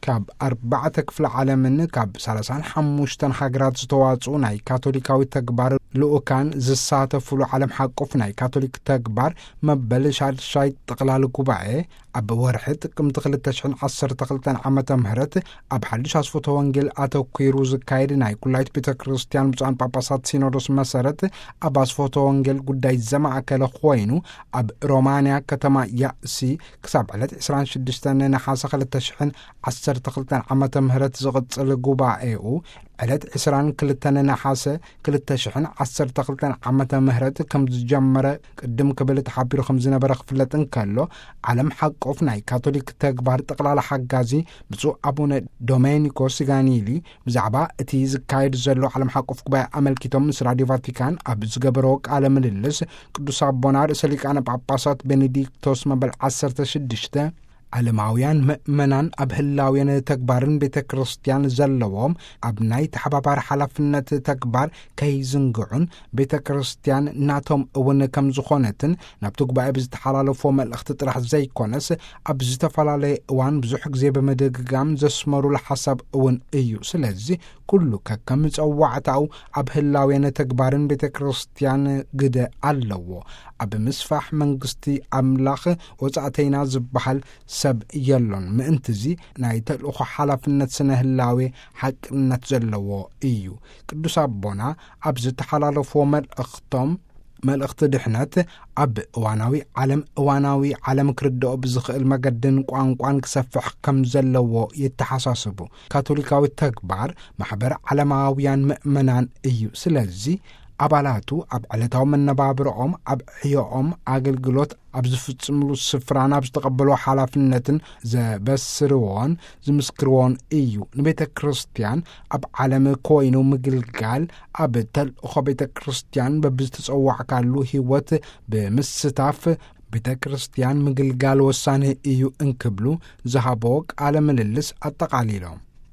ካብ ኣርባዕተ ክፍለ ዓለምን ካብ ሰላሳን ሓሙሽተን ሃገራት ዝተዋጽኡ ናይ ካቶሊካዊ ተግባር ልኡካን ዝሳተፉሉ ዓለም ሓቆፍ ናይ ካቶሊክ ተግባር መበል ሻድሻይ ጠቕላሊ ጉባኤ ኣብ ወርሒ ጥቅምቲ ክልተ ሽሕን ዓሰርተ ክልተን ዓመተ ምህረት ኣብ ሓድሽ ኣስፎተ ወንጌል ኣተኲሩ ዝካየድ ናይ ኩላይት ቤተ ክርስቲያን ብፁዓን ጳጳሳት ሲኖዶስ መሰረት ኣብ ኣስፎተ ወንጌል ጉዳይ ዘማእከለ ኮይኑ ኣብ ሮማንያ ከተማ ያእሲ ክሳብ ዕለት ዕስራን ሽዱሽተን ነሓሰ ክልተ ሽሕን ዓሰርተ ክልተን ዓመተ ምህረት ዝቕጽል ጉባኤኡ ዕለት ዕስራን ክልተን ነሓሰ ክልተ ሽሕን ዓሰርተ ክልተን ዓመተ ምህረት ከም ዝጀመረ ቅድም ክብል ተሓቢሩ ከም ዝነበረ ክፍለጥ እንከሎ፣ ዓለም ሓቆፍ ናይ ካቶሊክ ተግባር ጠቕላላ ሓጋዚ ብፁዕ ኣቡነ ዶሜኒኮ ሲጋኒሊ ብዛዕባ እቲ ዝካየድ ዘሎ ዓለም ሓቆፍ ጉባኤ ኣመልኪቶም ምስ ራድዮ ቫቲካን ኣብ ዝገበሮ ቃለ ምልልስ፣ ቅዱስ ኣቦና ርእሰ ሊቃነ ጳጳሳት ቤኔዲክቶስ መበል ዓሰርተ ሽዱሽተ ዓለማውያን ምእመናን ኣብ ህላዌን ተግባርን ቤተ ክርስቲያን ዘለዎም ኣብ ናይ ተሓባባሪ ሓላፍነት ተግባር ከይዝንግዑን ቤተ ክርስቲያን ናቶም እውን ከም ዝኾነትን ናብቲ ጉባኤ ብዝተሓላለፎ መልእኽቲ ጥራሕ ዘይኮነስ ኣብ ዝተፈላለየ እዋን ብዙሕ ግዜ ብምድግጋም ዘስመሩሉ ሓሳብ እውን እዩ። ስለዚ ኩሉ ከከም ጸዋዕታኡ ኣብ ህላዌን ተግባርን ቤተ ክርስቲያን ግደ ኣለዎ። ኣብ ምስፋሕ መንግስቲ ኣምላኽ ወጻእተይና ዝበሃል ሰብ የሎን። ምእንትዚ ናይ ተልእኾ ሓላፍነት ስነ ህላዌ ሓቅነት ዘለዎ እዩ። ቅዱስ ኣቦና ኣብ ዝተሓላለፍዎ መልእኽቶም፣ መልእኽቲ ድሕነት ኣብ እዋናዊ ዓለም፣ እዋናዊ ዓለም ክርድኦ ብዝኽእል መገድን ቋንቋን ክሰፍሕ ከም ዘለዎ የተሓሳስቡ። ካቶሊካዊ ተግባር ማሕበር ዓለማውያን ምእመናን እዩ። ስለዚ ኣባላቱ ኣብ ዕለታዊ መነባብሮኦም፣ ኣብ ዕዮኦም፣ ኣገልግሎት ኣብ ዝፍጽምሉ ስፍራን ኣብ ዝተቐበሎ ሓላፍነትን ዘበስርዎን ዝምስክርዎን እዩ። ንቤተ ክርስቲያን ኣብ ዓለም ኮይኑ ምግልጋል፣ ኣብ ተልእኾ ቤተ ክርስቲያን በብዝተጸዋዕካሉ ህይወት ብምስታፍ፣ ቤተ ክርስቲያን ምግልጋል ወሳኒ እዩ እንክብሉ ዝሃቦ ቃለ ምልልስ ኣጠቓሊሎም።